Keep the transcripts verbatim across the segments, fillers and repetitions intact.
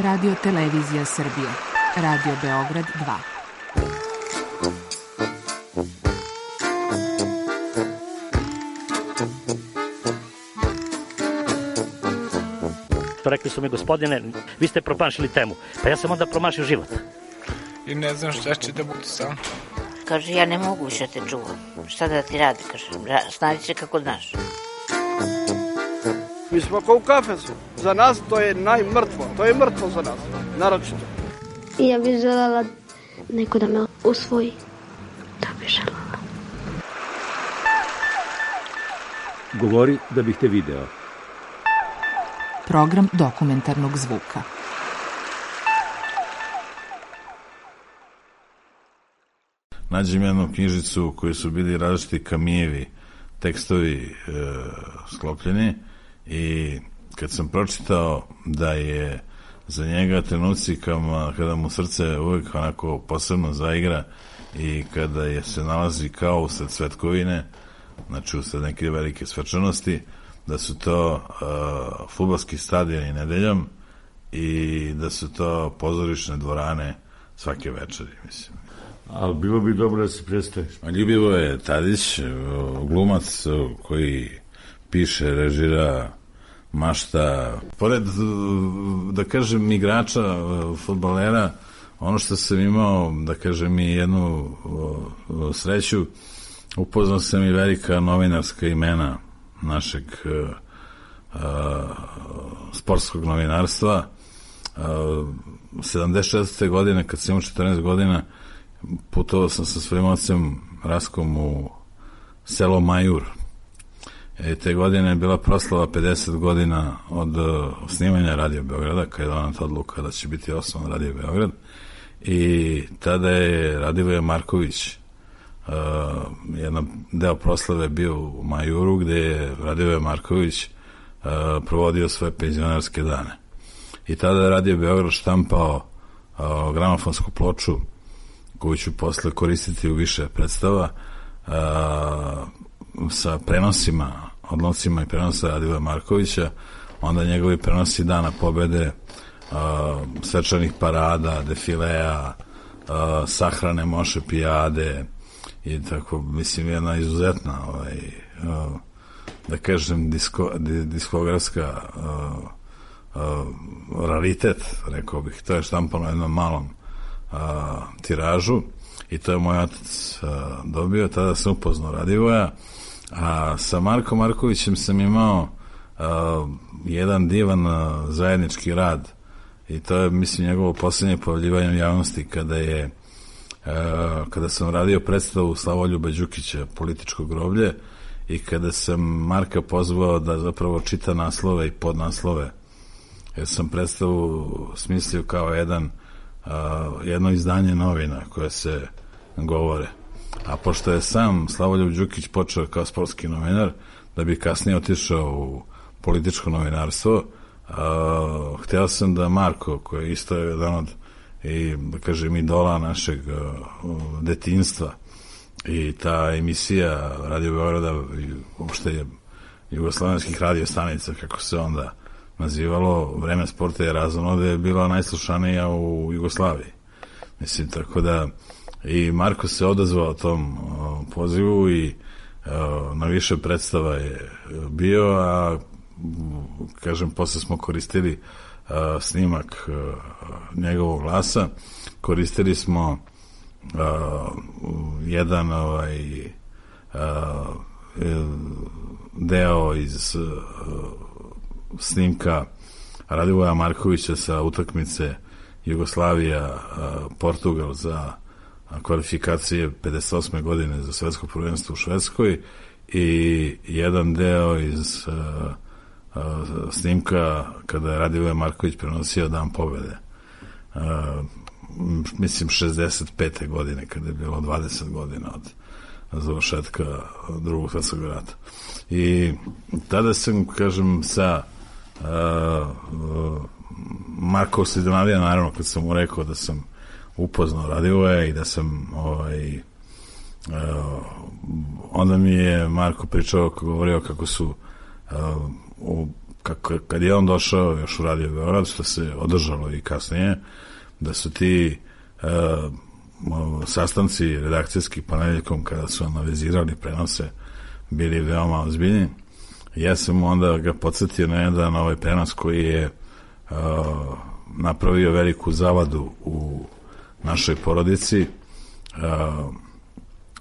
Radio Televizija Srbije, Radio Beograd dva. Rekli su mi, gospodine, vi ste promašili temu. Pa ja sam onda promašio život. I ne znam šta će da bude sam. Kaže, ja ne mogu više te čuvam. Šta da ti radi, kaže, snađi se kako znaš. Mi smo kao u kafesu. Za nas to je najmrtvo. To je mrtvo za nas, naročito. I ja bih želela neko da me usvoji. To bih želela. Govori da bih te video. Program dokumentarnog zvuka. Nađem jednu knjižicu u kojoj su bili različiti Kamijevi tekstovi e, sklopljeni i kad sam pročitao da je za njega trenuci kada mu srce uvijek onako posebno zaigra i kada je se nalazi kao usred svetkovine, znači usred neke velike svečanosti, da su to uh, fudbalski stadioni nedeljom i da su to pozorišne dvorane svake večeri, mislim. Ali bilo bi dobro da se predstaviš. Ljubivo je Tadić, glumac koji piše, režira, mašta. Pored, da kažem, igrača, fudbalera, ono što sam imao, da kažem, i jednu sreću, upoznao sam i velika novinarska imena našeg uh, uh, sportskog novinarstva. Uh, sedamdeset četvrte godine, kad sam imao četrnaest godina, putovao sam sa svojim ocem Raskom u selo Majur. E, te godine je bila proslava pedeset godina od uh, snimanja Radio Beograda, kada je donata odluka da će biti osnovan Radio Beograd. I tada je Radivoje Marković, Uh, jedan deo proslave bio u Majuru, gde je Radivoje Marković uh, provodio svoje penzionarske dane. I tada je Radio Beograd štampao uh, gramofonsku ploču koju ću posle koristiti u više predstava uh, sa prenosima, odlomcima i prenosa Radivoja Markovića, onda njegovi prenosi Dana pobede, uh, svečanih parada, defilea, uh, sahrane Moše Pijade i tako, mislim, jedna izuzetna ovaj, uh, da kažem disko, diskografska uh, uh, raritet, rekao bih. To je štampano jednom malom uh, tiražu i to je moj otac uh, dobio. Tada sam upoznao Radivoja, a sa Markom Markovićem sam imao uh, jedan divan uh, zajednički rad i to je, mislim, njegovo poslednje pojavljivanje u javnosti kada je Uh, kada sam radio predstavu Slavoljuba Đukića Političko groblje i kada sam Marka pozvao da zapravo čita naslove i podnaslove, jer sam predstavu smislio kao jedan uh, jedno izdanje novina koje se govore, a pošto je sam Slavoljub Đukić počeo kao sportski novinar da bi kasnije otišao u političko novinarstvo, uh, hteo sam da Marko, koji je isto jedan od i, da kažem, idola našeg uh, detinjstva i ta emisija Radio Beograda i uopšte je jugoslovenskih radio stanica, kako se onda nazivalo, Vreme sporta i razonode, je bila najslušanija u Jugoslaviji. Mislim, tako da i Marko se odazvao tom uh, pozivu i uh, na više predstava je bio, a kažem, posle smo koristili Uh, snimak uh, njegovog glasa, koristili smo uh, jedan ovaj uh, deo iz uh, snimka Radivoja Markovića sa utakmice Jugoslavija uh, Portugal za kvalifikacije pedeset osme godine za svetsko prvenstvo u Švedskoj i jedan deo iz uh, Uh, snimka kada je Radivoje Marković prenosio Dan pobede. Uh, mislim šezdeset pete godine, kada je bilo dvadeset godina od završetka drugog svetskog rata. I tada sam, kažem, sa uh, uh, Marko Sidonavija, naravno, kad sam mu rekao da sam upoznao Radivoje i da sam ovaj, uh, onda mi je Marko pričao, govorio kako su uh, u kako, kad je on došao još u Radio Beograd, što se održalo i kasnije, da su ti uh, sastanci redakcijski ponedjeljkom kada su analizirali prenose bili veoma ozbiljni. Ja sam onda ga podsjetio na jedan ovaj prenos koji je uh, napravio veliku zavadu u našoj porodici. Uh,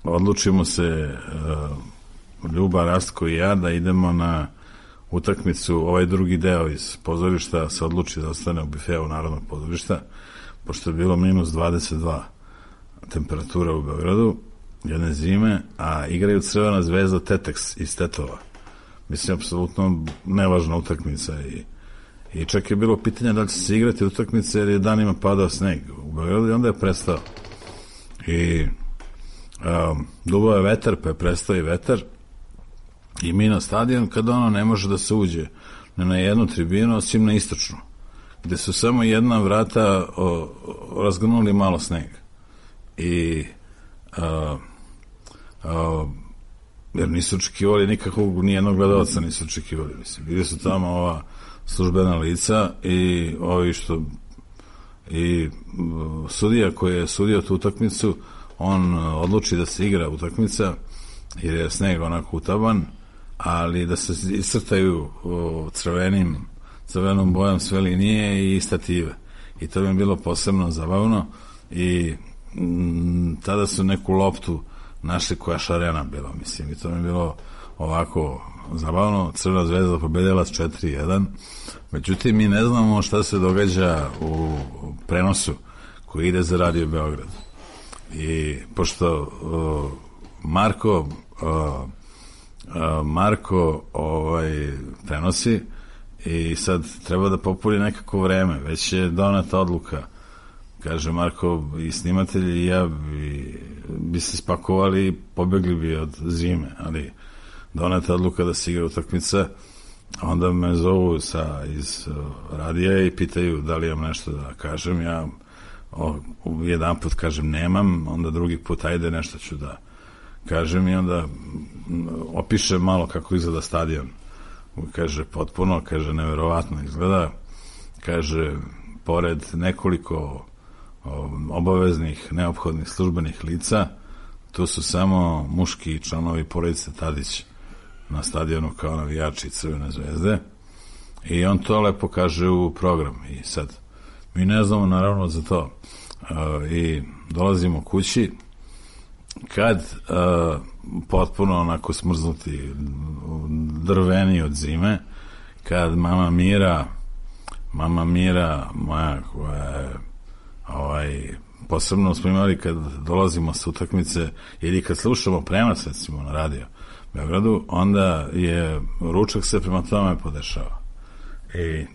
odlučimo se uh, Ljuba, Rastko i ja da idemo na utakmicu, ovaj drugi deo iz pozorišta se odluči da ostane u bifeu Narodnog pozorišta, pošto je bilo minus dvadeset dva temperatura u Beogradu jedne zime, a igraju Crvena zvezda Teteks iz Tetova. Mislim, apsolutno nevažna utakmica i, i čak je bilo pitanje da li će se igrati utakmice jer je danima padao sneg u Beogradu i onda je prestao. I um, duvao je vetar, pa je prestao i vetar i mi na stadion kada ono ne može da se uđe ne na jednu tribinu, osim na istočnu, gde su samo jedna vrata o, o, razgrnuli malo snega. I a, a, jer nisu očekivali nikakvog, nijednog gledalca nisu očekivali, mislim, bili su tamo ova službena lica i ovi što i sudija koji je sudio tu utakmicu, on odluči da se igra utakmica jer je sneg onako utaban, ali da se iscrtaju crvenim crvenom bojom sve linije i stative. I to mi je bilo posebno zabavno i m, tada su neku loptu našli koja šarena bila, mislim, i to mi je bilo ovako zabavno. Crvena zvezda pobedila s četiri jedan. Međutim, mi ne znamo šta se događa u prenosu koji ide za Radio Beograd. I pošto uh, Marko uh, uh, Marko ovaj prenosi i sad treba da popuni nekako vreme, već je doneta odluka, kaže Marko, i snimatelji i ja bi, bi se spakovali i pobegli bi od zime, ali doneta odluka da se igra utakmica. Onda me zovu sa, iz uh, radija i pitaju da li imam nešto da kažem. Ja o, jedan put kažem nemam, onda drugi put ajde nešto ću da kažem i onda opišem malo kako izgleda stadion. Kaže potpuno, kaže neverovatno izgleda, kaže pored nekoliko o, obaveznih, neophodnih službenih lica, tu su samo muški članovi porodice Tadić na stadionu kao navijači Crvene zvezde i on to lepo kaže u program i sad mi ne znamo naravno za to uh, i dolazimo kući kad uh, potpuno onako smrznuti, drveni od zime, kad mama Mira mama Mira moja koja je ovaj, posebno smo imali kad dolazimo sa utakmice ili kad slušamo prenos recimo na radio Beogradu, onda je ručak se prema tome podešava. I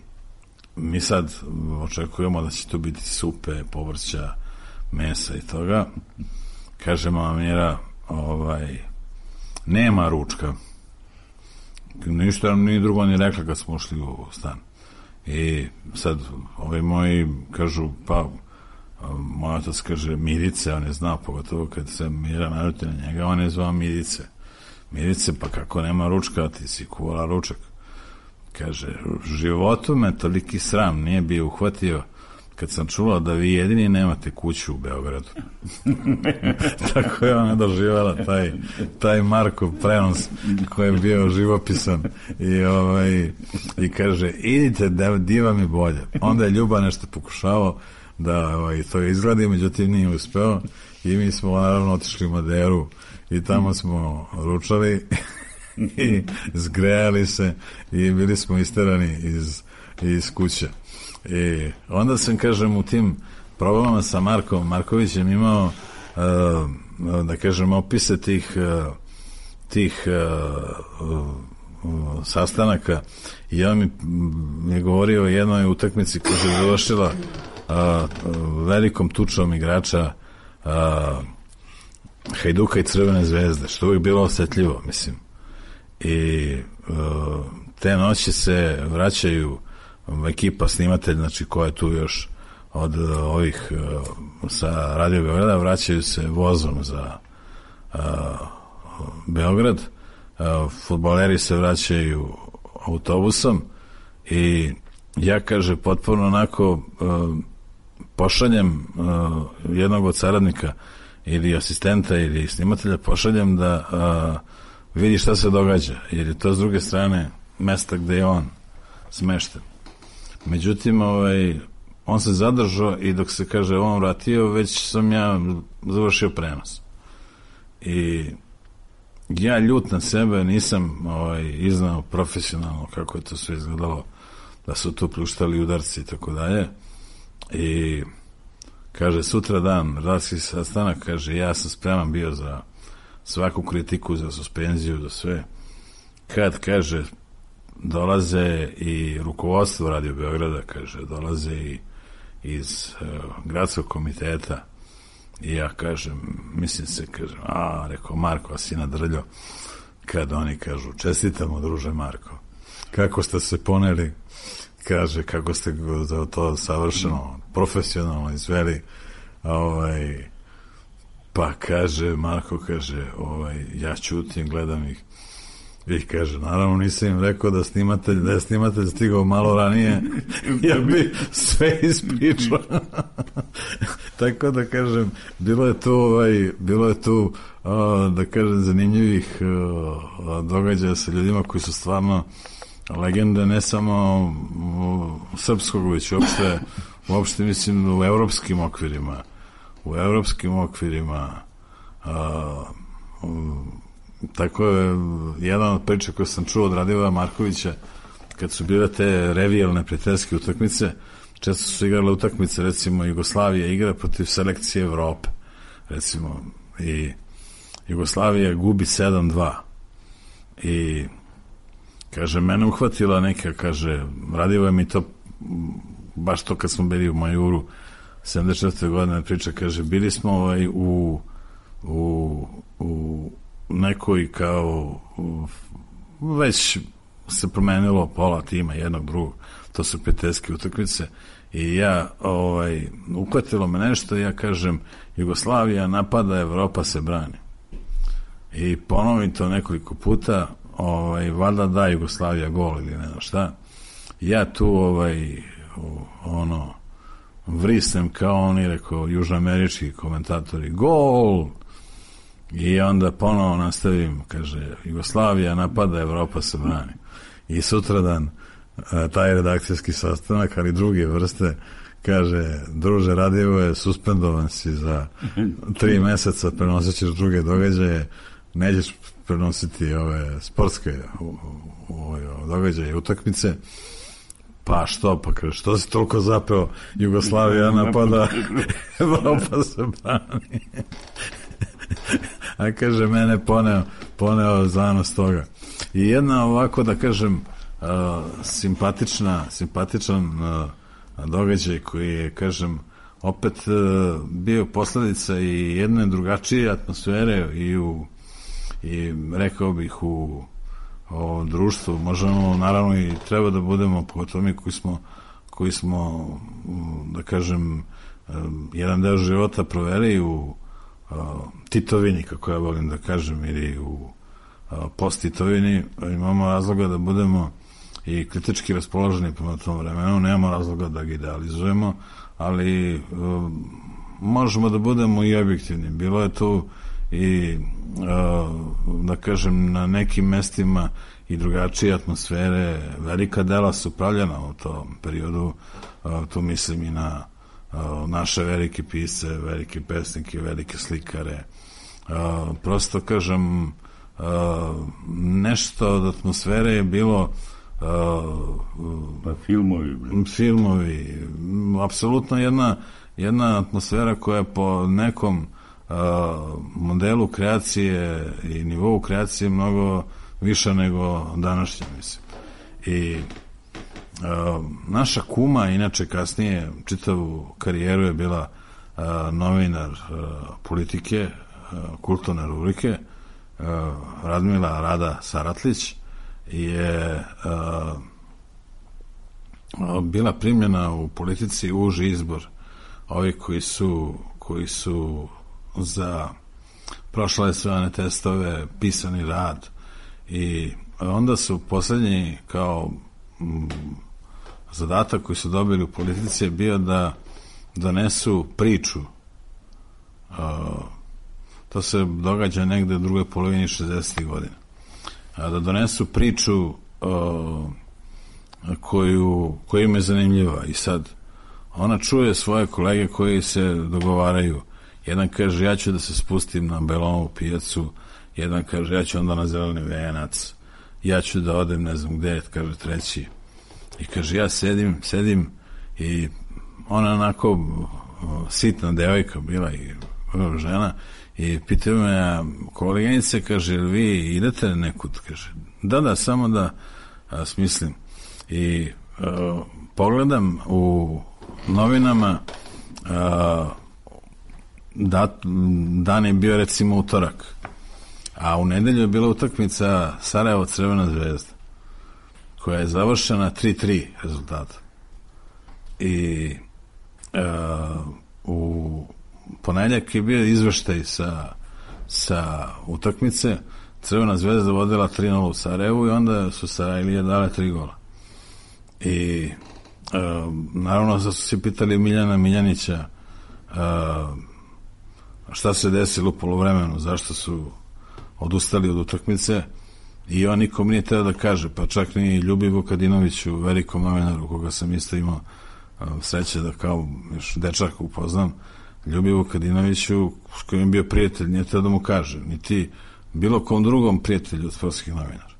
mi sad očekujemo da će tu biti supe, povrća, mesa i toga. Kaže mama Mira, ovaj, nema ručka. Ništa nam ni drugo ni rekla kad smo ušli u stan. I sad ovi moji kažu, pa moj otac kaže Mirice, on je znao, pogotovo kad se Mira naljuti na njega, on je zvao Mirice. Mirice, pa kako nema ručka, ti si kuvala ručak. Kaže, u životu me toliki sram nije bio uhvatio kad sam čula da vi jedini nemate kuću u Beogradu. Tako je ona doživala taj, taj Markov prenos koji je bio živopisan i, ovaj, i kaže, idite da di vam je bolje. Onda je Ljuba nešto pokušavao da ovaj, to izgledi, međutim nije uspeo i mi smo naravno otišli u Maderu i tamo smo ručali i zgrejali se i bili smo isterani iz, iz kuće. I onda sam, kažem, u tim probama sa Markom Markovićem imao uh, da kažem opise tih uh, tih uh, uh, sastanaka i on mi, mi je govorio o jednoj utakmici koja se završila uh, velikom tučom igrača uh, Hajduka i Crvene zvezde, što uvijek bilo osjetljivo, mislim. I uh, te noći se vraćaju ekipa snimatelj, znači koja je tu još od uh, ovih uh, sa Radio Beograda, vraćaju se vozom za uh, Beograd, uh, fudbaleri se vraćaju autobusom i ja, kaže, potpuno onako uh, pošaljem uh, jednog od saradnika ili asistenta ili snimatelja, pošaljem da uh, vidi šta se događa, jer je to s druge strane mesta gde je on smešten. Međutim, ovaj, on se zadržao i dok se, kaže, on vratio, već sam ja završio prenos. I ja ljut na sebe nisam ovaj, iznao profesionalno kako je to sve izgledalo, da su tu pljuštali udarci i tako dalje. I kaže, sutra dan, redakcijski sastanak, kaže, ja sam spreman bio za svaku kritiku, za suspenziju, za sve. Kad, kaže, dolaze i rukovodstvo Radio Beograda, kaže, dolaze i iz uh, gradskog komiteta i ja kažem, mislim se, kažem, a, rekao, Marko, a si nadrljao, kad oni kažu, čestitamo, druže Marko, kako ste se poneli, kaže, kako ste za to savršeno, profesionalno izveli, ovaj, pa kaže, Marko, kaže, ovaj, ja ćutim, gledam ih, i kaže, naravno nisam im rekao da snimatelj, da je snimatelj stigao malo ranije, ja bi sve ispričao. Tako da kažem, bilo je tu, ovaj, bilo je tu, uh, da kažem, zanimljivih uh, događaja sa ljudima koji su stvarno legende, ne samo uh, srpskog, već uopšte, uopšte mislim u evropskim okvirima, u evropskim okvirima, uh, uh, tako je jedan od priča koju sam čuo od Radivoja Markovića, kad su bile te revijalne prijateljske utakmice, često su igrale utakmice, recimo Jugoslavija igra protiv selekcije Evrope, recimo, i Jugoslavija gubi sedam dva i kaže, mene uhvatila neka, kaže, Radivoje mi to baš to kad smo bili u Majuru sedamdeset četvrte godine priča, kaže, bili smo ovaj, u u, u nekoj kao već se promenilo pola tima jednog drugog, to su prijateljske utakmice i ja ovaj, uhvatilo me nešto i ja kažem, Jugoslavija napada, Evropa se brani i ponovim to nekoliko puta, ovaj, valjda da Jugoslavija gol ili ne znam šta, ja tu ovaj, ono vrisnem kao oni, rekao, južnoamerički komentatori, gol. I onda ponovo nastavim, kaže, Jugoslavija napada, Evropa se brani. I sutradan taj redakcijski sastanak, ali druge vrste, kaže, druže Radivoje, suspendovan si za tri meseca, prenosit ćeš druge događaje, nećeš prenositi ove sportske ove događaje, utakmice. Pa što, pa kaže, što si toliko zapeo, Jugoslavija napada, Evropa se brani. A kaže, mene poneo, poneo zanos toga. I jedna ovako, da kažem, uh, simpatična, simpatičan uh, događaj koji je, kažem, opet uh, bio posledica i jedne drugačije atmosfere i u, i rekao bih u o društvu. Možemo, naravno, i treba da budemo, pogotovo mi koji smo, koji smo, da kažem, um, jedan deo života proveli u Uh, Titovini, kako ja volim da kažem, ili u uh, post-Titovini, imamo razloga da budemo i kritički raspoloženi prema tom vremenu, nemamo razloga da ga idealizujemo, ali uh, možemo da budemo i objektivni. Bilo je tu i uh, da kažem, na nekim mestima i drugačije atmosfere, velika dela su pravljena u tom periodu, uh, tu mislim i na naše velike pisce, velike pesnike, velike slikare. Prosto, kažem, nešto od atmosfere je bilo pa filmovi. Filmovi. Apsolutno jedna, jedna atmosfera koja je po nekom modelu kreacije i nivou kreacije mnogo više nego današnja, mislim. I Uh, naša kuma, inače kasnije čitavu karijeru je bila uh, novinar uh, politike, uh, kulturne rubrike, uh, Radmila Rada Saratlić je uh, bila primljena u politici uži izbor ovi koji su koji su za prošle sve one testove, pisani rad i onda su poslednji kao m, zadatak koji su dobili u politici je bio da donesu priču. Uh, to se događa negde u drugoj polovini šezdesetih godina. Uh, da donesu priču uh, koju, koja im je zanimljiva. I sad ona čuje svoje kolege koji se dogovaraju. Jedan kaže, ja ću da se spustim na Belonovu pijacu, jedan kaže, ja ću onda na Zeleni venac, ja ću da odem ne znam gde, kaže treći. I kaže, ja sedim, sedim i ona onako sitna devojka bila i žena i pitaju me, koleginice, kaže, ili vi idete nekud? Kaže, da, da, samo da a, smislim. I a, pogledam u novinama, a, da, dan je bio recimo utorak, a u nedelju je bila utakmica Sarajevo Crvena zvezda, koja je završena tri tri rezultata. I uh, u ponedjeljak je bio izveštaj sa, sa utakmice. Crvena zvezda vodila tri nula u Sarajevu i onda su Sarajlije dale tri gola. I uh, naravno da su se pitali Miljana Miljanića uh, šta se desilo u poluvremenu, zašto su odustali od utakmice, i on nikom nije teo da kaže, pa čak ni Ljubi Vukadinoviću, velikom novinaru koga sam isto imao sreće da kao još dečak upoznam, Ljubi Vukadinoviću, s kojim je bio prijatelj, nije teo da mu kaže, niti bilo kom drugom prijatelju od sportskih novinara.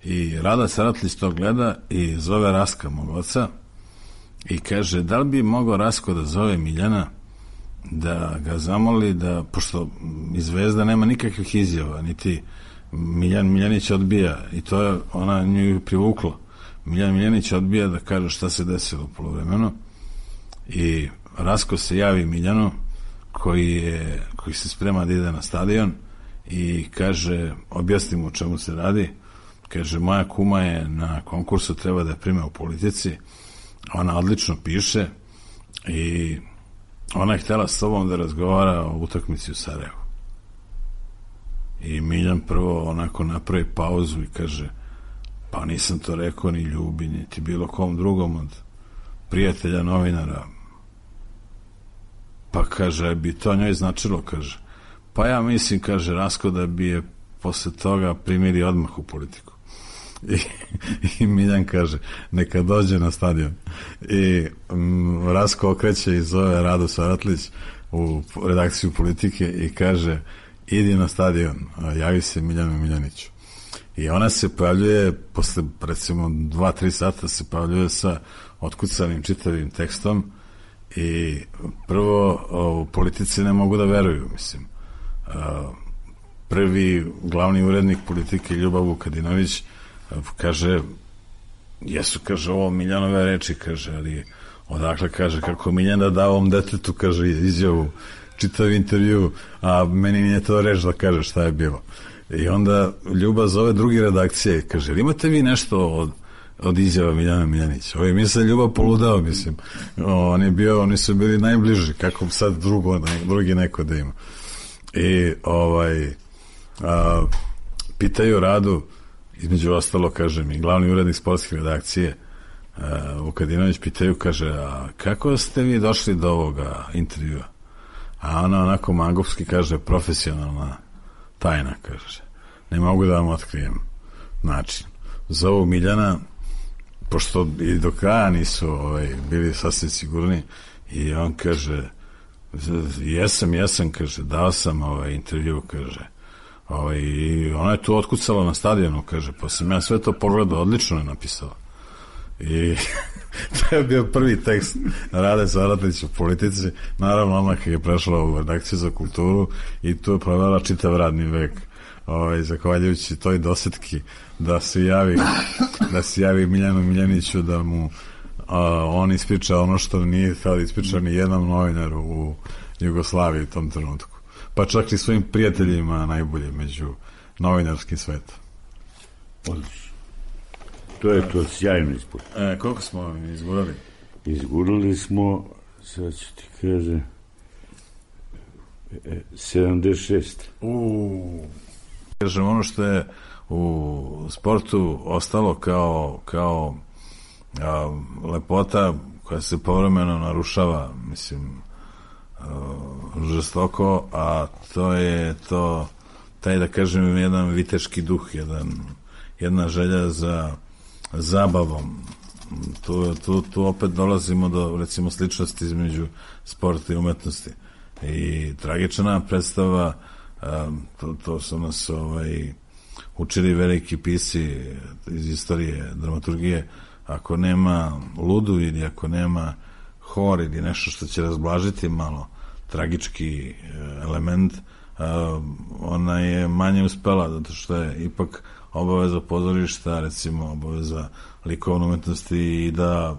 I Rada Saratlić to gleda i zove Raska, mog oca, i kaže, da li bi mogao Rasko da zove Miljana, da ga zamoli da, pošto iz Zvezda nema nikakvih izjava, niti Miljan Miljanić odbija, i to je ona nju privukla. Miljan Miljanić odbija da kaže šta se desilo u poluvremenu, i Rasko se javi Miljanu koji, je, koji se sprema da ide na stadion i kaže, objasni mu o čemu se radi. Kaže, moja kuma je na konkursu, treba da je prime u politici, ona odlično piše i ona je htjela s tobom da razgovara o utakmici u Sarajevu. I Miljan prvo onako napravi pauzu i kaže, pa nisam to rekao ni Ljubi, niti bilo kom drugom od prijatelja novinara. Pa kaže, bi to njoj značilo, kaže. Pa ja mislim, kaže Rasko, da bi je posle toga primili odmah u politiku. I, i Miljan kaže, neka dođe na stadion. I m, Rasko okreće i zove Radu Saratlić u redakciju Politike i kaže, idi na stadion, javi se Miljanu Miljaniću. I ona se pojavljuje posle recimo dva tri sata se pojavljuje sa otkucanim čitavim tekstom i prvo u Politici ne mogu da veruju, mislim. Prvi glavni urednik Politike Ljubav Vukadinović kaže, jesu, kaže, ovo Miljanove reči, kaže, ali odakle, kaže, kako Miljan da da ovom detetu, kaže, izjavu, čitav intervju, a meni nije to reč da kaže šta je bilo. I onda Ljuba zove drugi redakcije i kaže, imate vi nešto od, od izjava Miljana Miljanića? Ovo je misle Ljuba poludao, mislim. On je bio, oni su bili najbliži, kako sad drugo, drugi neko da ima. I ovaj a, pitaju Radu, između ostalo, kažem, i glavni urednik sportske redakcije Vukadinović, pitaju, kaže, a kako ste vi došli do ovoga intervjua? A ona onako mangovski kaže, profesionalna tajna, kaže, ne mogu da vam otkrijem način. Zovu Miljana, pošto i do kraja nisu ovaj, bili sasvim sigurni, i on kaže, jesam, jesam, kaže, dao sam ovaj intervju, kaže, ovaj, i ona je tu otkucala na stadionu, kaže, pa sam ja sve to pogledao, odlično je napisala. I to je bio prvi tekst Rade Saratlić u Politici, naravno ona kad je prešla u redakciju za kulturu i tu je provela čitav radni vek, ovaj, zahvaljujući toj dosetki da se javi da se javi Miljanu Miljaniću da mu a, on ispriča ono što nije htio da ispriča ni jednom novinaru u Jugoslaviji u tom trenutku, pa čak i svojim prijateljima najbolje među novinarskim svetom. Odlično. To je to sjajno ispod. E, koliko smo izgurali? Izgurali smo, sad ću ti kaže, sedamdeset šest. Uuu. Kažem, ono što je u sportu ostalo kao, kao a, lepota koja se povremeno narušava, mislim, a, žestoko, a to je to, taj, da kažem, jedan viteški duh, jedan, jedna želja za zabavom. Tu, tu, tu opet dolazimo do, recimo, sličnosti između sporta i umetnosti. I tragična predstava, a, to, to su nas ovaj, učili veliki pisci iz istorije dramaturgije, ako nema ludu ili ako nema hor ili nešto što će razblažiti malo tragički element, ona je manje uspela, zato što je ipak obaveza pozorišta, recimo obaveza likovne umetnosti i da,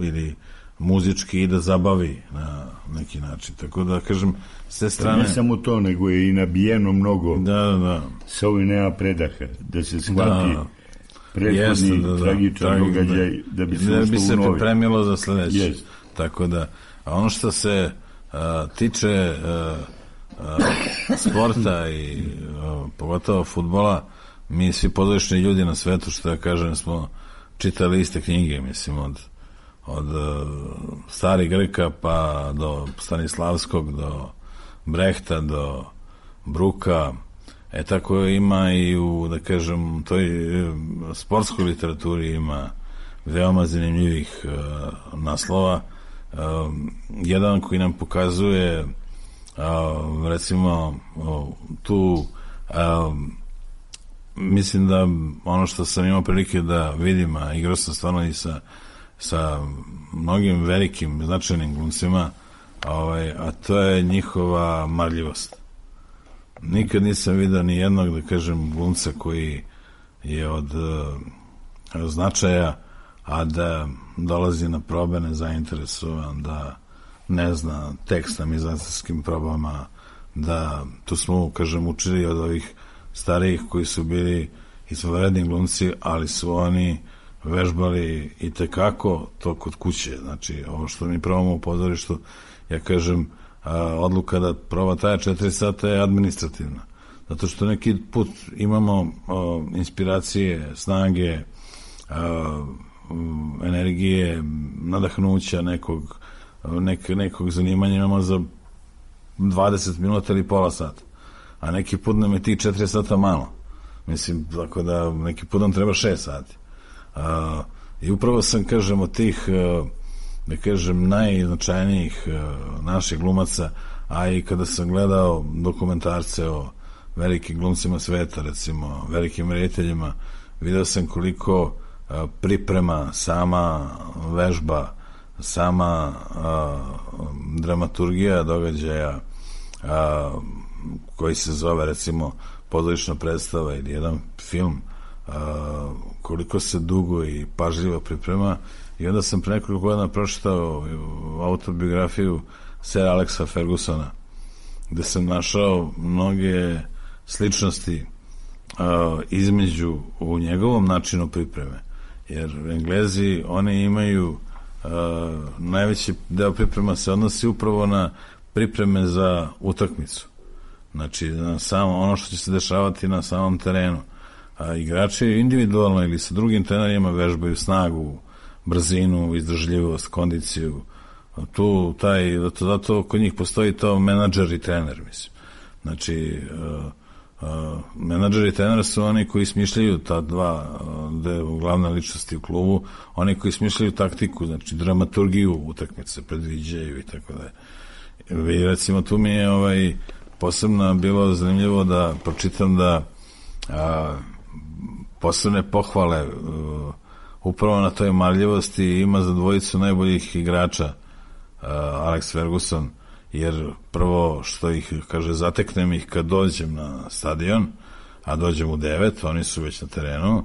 ili muzički, i da zabavi na neki način. Tako da, kažem, s te strane... Ne samo to, nego je i nabijeno mnogo. Da, da, da. Sa ovim nema predaha, da se shvati da, prethodni da, da, tragičan događaj, da bi se da bi se u novi. pripremilo za sledeće. Jest. Tako da, a ono što se a, tiče a, a, sporta i a, pogotovo fudbala, mi svi pozorišni ljudi na svetu, što ja kažem, smo čitali iste knjige, mislim, od od uh, starih Greka pa do Stanislavskog, do Brehta, do Bruka. E tako ima i u, da kažem, toj sportskoj literaturi ima veoma zanimljivih uh, naslova. Uh, jedan koji nam pokazuje uh, recimo uh, tu uh, mislim da ono što sam imao prilike da vidim, a igrao sam stvarno i sa sa mnogim velikim značajnim glumcima, ovaj, a to je njihova marljivost. Nikad nisam vidio ni jednog, da kažem, glumca koji je od uh, značaja, a da dolazi na probe nezainteresovan, da ne zna tekst na mizansarskim probama, da tu smo, kažem, učili od ovih starijih koji su bili izvanredni glumci, ali su oni vežbali i tekako to kod kuće. Znači, ovo što mi probamo u pozorištu, ja kažem, a, odluka da proba traje četiri sata je administrativna. Zato što neki put imamo a, inspiracije, snage, a, energije, nadahnuća nekog, nek, nekog zanimanja imamo za dvadeset minuta ili pola sata. A neki put nam je tih četiri sata malo. Mislim, tako da neki put nam treba šest sati. Uh, i upravo sam, kažem, od tih uh, da kažem najznačajnijih uh, naših glumaca, a i kada sam gledao dokumentarce o velikim glumcima sveta, recimo velikim rediteljima, video sam koliko uh, priprema, sama vežba, sama uh, dramaturgija događaja uh, koji se zove, recimo, pozorišna predstava ili jedan film, Uh, koliko se dugo i pažljivo priprema. I onda sam pre nekoliko godina pročitao autobiografiju Sir Alexa Fergusona, gde sam našao mnoge sličnosti uh, između u njegovom načinu pripreme. Jer Englezi, oni imaju uh, najveći deo priprema se odnosi upravo na pripreme za utakmicu. Znači, na samo ono što će se dešavati na samom terenu. A igrači individualno ili sa drugim trenerima vežbaju snagu, brzinu, izdržljivost, kondiciju. Tu taj, zato, zato kod njih postoji to menadžer i trener, mislim. Znači, uh, uh, menadžer i trener su oni koji smišljaju ta dva uh, glavna ličnosti u klubu, oni koji smišljaju taktiku, znači dramaturgiju utakmice, predviđaju i tako da. I recimo tu mi je ovaj, posebno bilo zanimljivo da pročitam da uh, posebne pohvale uh, upravo na toj marljivosti ima za dvojicu najboljih igrača uh, Alex Ferguson, jer prvo što ih, kaže, zateknem ih kad dođem na stadion, a dođem u devet, oni su već na terenu,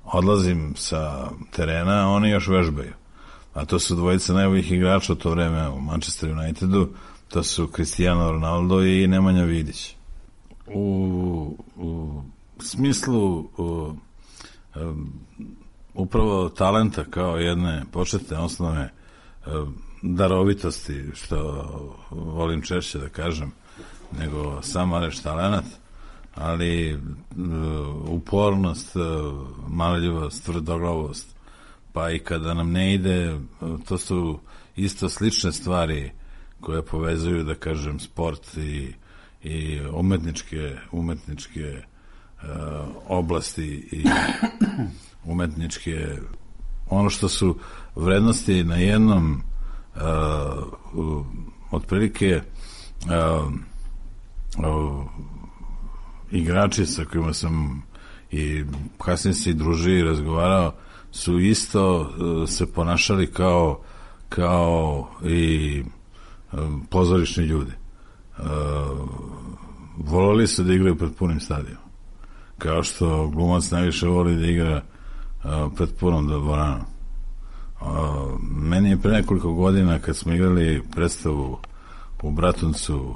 odlazim sa terena, oni još vežbaju. A to su dvojica najboljih igrača u to vreme u Manchester Unitedu, to su Cristiano Ronaldo i Nemanja Vidić. U, u smislu u, um, upravo talenta kao jedne početne osnove um, darovitosti, što volim češće da kažem, nego sama reč talenat, ali uh, upornost, uh, marljivost, tvrdoglavost, pa i kada nam ne ide, to su isto slične stvari koje povezuju, da kažem, sport i, i umetničke, umetničke uh, oblasti i umetničke, ono što su vrednosti na jednom uh, uh, otprilike uh, uh, igrači sa kojima sam i kasnije se i družio i razgovarao su isto uh, se ponašali kao kao i um, pozorišni ljudi. Uh, voleli su da igraju pred punim stadionom. Kao što glumac najviše voli da igra uh, pred punom dvoranom. Uh, meni je pre nekoliko godina kad smo igrali predstavu u Bratuncu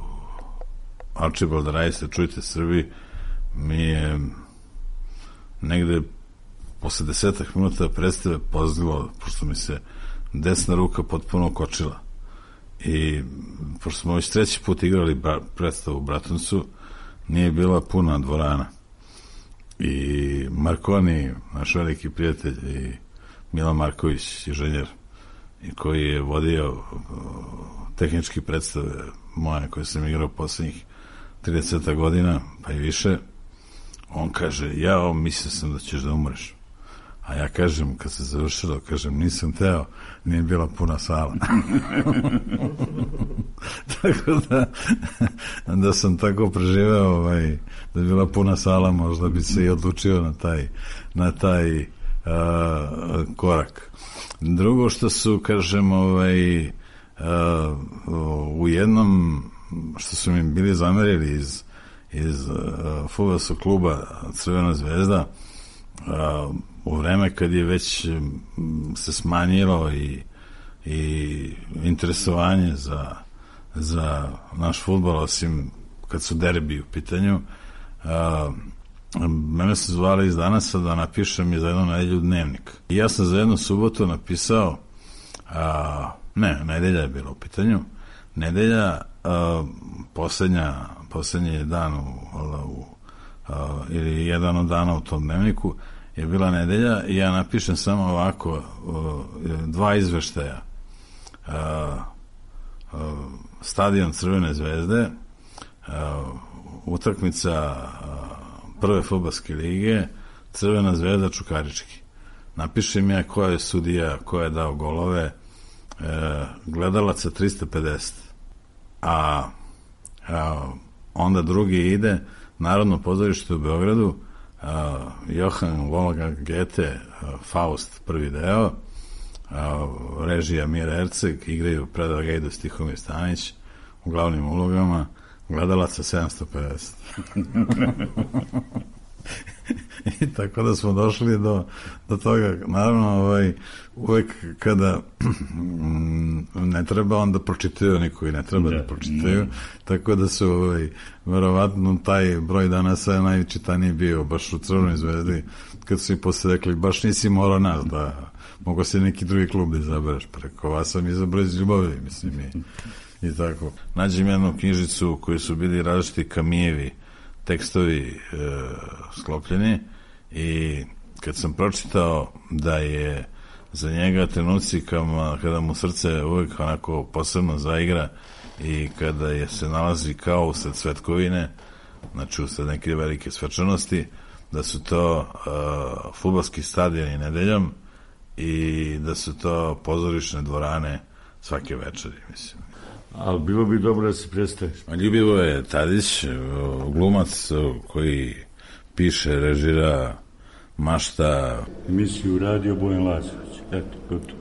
Archibald Rajsa, Čujte Srbi, mi je negde posle desetak minuta predstave pozlilo, pošto mi se desna ruka potpuno kočila. I pošto smo već treći put igrali predstavu u Bratuncu, nije bila puna dvorana. I Marconi, naš veliki prijatelj, i Milan Marković, inženjer, i koji je vodio uh, tehnički predstave moje koje sam igrao poslednjih trideset godina, pa i više, on kaže, ja mislio sam da ćeš da umreš. A ja kažem, kad se završilo, kažem, nisam teo, nije bila puna sala. Tako da, da sam tako preživeo, ovaj, da je bila puna sala, možda bi se i odlučio na taj, na taj uh, korak. Drugo što su, kažem, ovaj, uh, u jednom, što su mi bili zamerili iz, iz uh, fudbalskog kluba Crvena zvezda, uh, u vreme kad je već se smanjilo i, i interesovanje za, za naš fudbal, osim kad su derbi u pitanju, a, mene su zvali iz Danasa da napišem i za jednu nedelju dnevnik. I ja sam za jednu subotu napisao, a, ne, nedelja je bila u pitanju, nedelja, a, poslednja, poslednji dan u, u, a, ili jedan od dana u tom dnevniku je bila nedelja i ja napišem samo ovako dva izveštaja. Stadion Crvene zvezde, utakmica prve fudbalske lige, Crvena zvezda Čukarički. Napišem ja koja je sudija, koja je dao golove, gledalaca tristo pedeset. A, a onda drugi ide Narodno pozorište u Beogradu, Uh, Johann Wolfgang Goethe, uh, Faust, prvi deo, uh, režija Mira Erceg, igraju Predrag Gajdos, Tihomir Stanić u glavnim ulogama, gledalaca sedamsto pedeset. I tako da smo došli do, do toga. Naravno, ovaj, uvek kada ne treba, onda pročitaju, niko i ne treba da, da pročitaju, ne. Tako da su ovaj, verovatno taj broj danas je najčitaniji bio baš u Crvenoj zvezdi, kad su i posle rekli, baš nisi morao nas da mogo si neki drugi klub da izabereš, preko vas sam izabrao iz ljubavi, mislim, i, i tako. Nađem jednu knjižicu u kojoj su bili različiti Kamijevi tekstovi e, sklopljeni i kad sam pročitao da je za njega trenuci kama, kada mu srce uvek onako posebno zaigra i kada je se nalazi kao usred svetkovine, znači usred neke velike svečanosti, da su to uh, fudbalski stadioni nedeljom i da su to pozorišne dvorane svake večeri, mislim. Ali bilo bi dobro da se predstaviš. Ljubivo je Tadić, glumac koji piše, režira, mašta. Emisiju radio Bojan Lazović. Eto, gotovo.